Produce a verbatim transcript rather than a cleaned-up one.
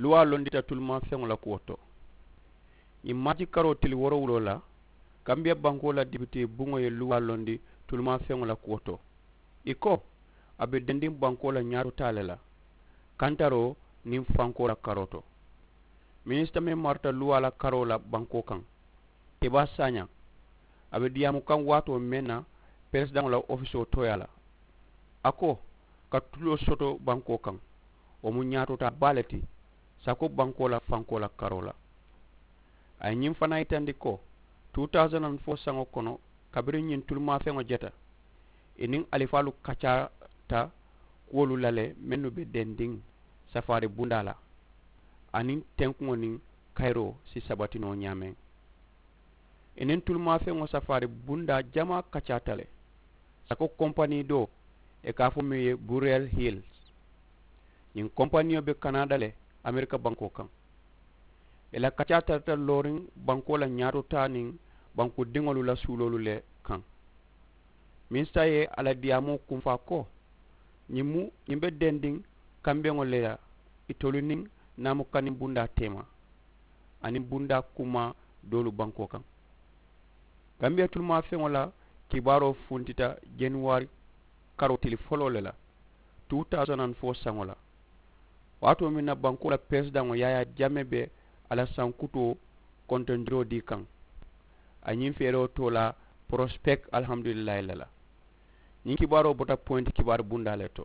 Luwaa londita tulimafeŋo la kuwo to. Ñiŋ maaji karoo tili woorowuloo la, kambiya bankoo la dibitee buŋo ye luwaa londi tulimafeŋo la kuwo to. Ì ko, a be dendiŋ bankoo la ñaatotaa le la kantaroo niŋ fankoo la karoo to. Minisita meŋ marata luwaa la karoo la bankoo kaŋ, kebaa saañaa, a be diyaamu kaŋ waatoo meŋ na peresidaŋo la ofisoo tooyaa la. A ko, ka tuloo soto bankoo kaŋ, wo mu ñaatotaa baa le ti sako bankoo la fankoo la karoo la. A ye ñiŋ fanaa yitandi ko, two thousand and four saŋo kono, kabiriŋ ñiŋ tulimafeŋo jeta, ì niŋ alifaalu kacaata kuwolu la le mennu be dendiŋ safaari bundaa la, aniŋ tenkuŋo niŋ kayiroo si sabati noo ñaameŋ. Ì niŋ tulimafeŋo safaari bundaa jamaa kacaata le. Sako kompanii doo, ì ka a fo meŋ ye buriyel hills. Ñiŋ kompaniyo be kanaada le, amerika bankoo kaŋ. Ì la kacaa tarata looriŋ bankoo la ñaatotaa niŋ banku diŋolu la suuloolu le kaŋ. Minisita ye a la diyaamoo kunfaa ko, ñiŋ mu ñiŋ be dendiŋ kambeŋo le la, itolu niŋ naamukaniŋ bundaa teema aniŋ bundaa kumaa doolu bankoo kaŋ. Kambiya tulimafeŋo la kibaaroo funtita januwari karoo tili foloo le la, two thousand and four saŋo la, waatoo meŋ na bankoo la peresidaŋo yaayaa jame be a la sankutoo kontondiroo dii kaŋ. A ñiŋ feeroo too la porospek alhamdulillahi le la. Ñiŋ kibaaroo bota poyinti kibaari bundaa le to.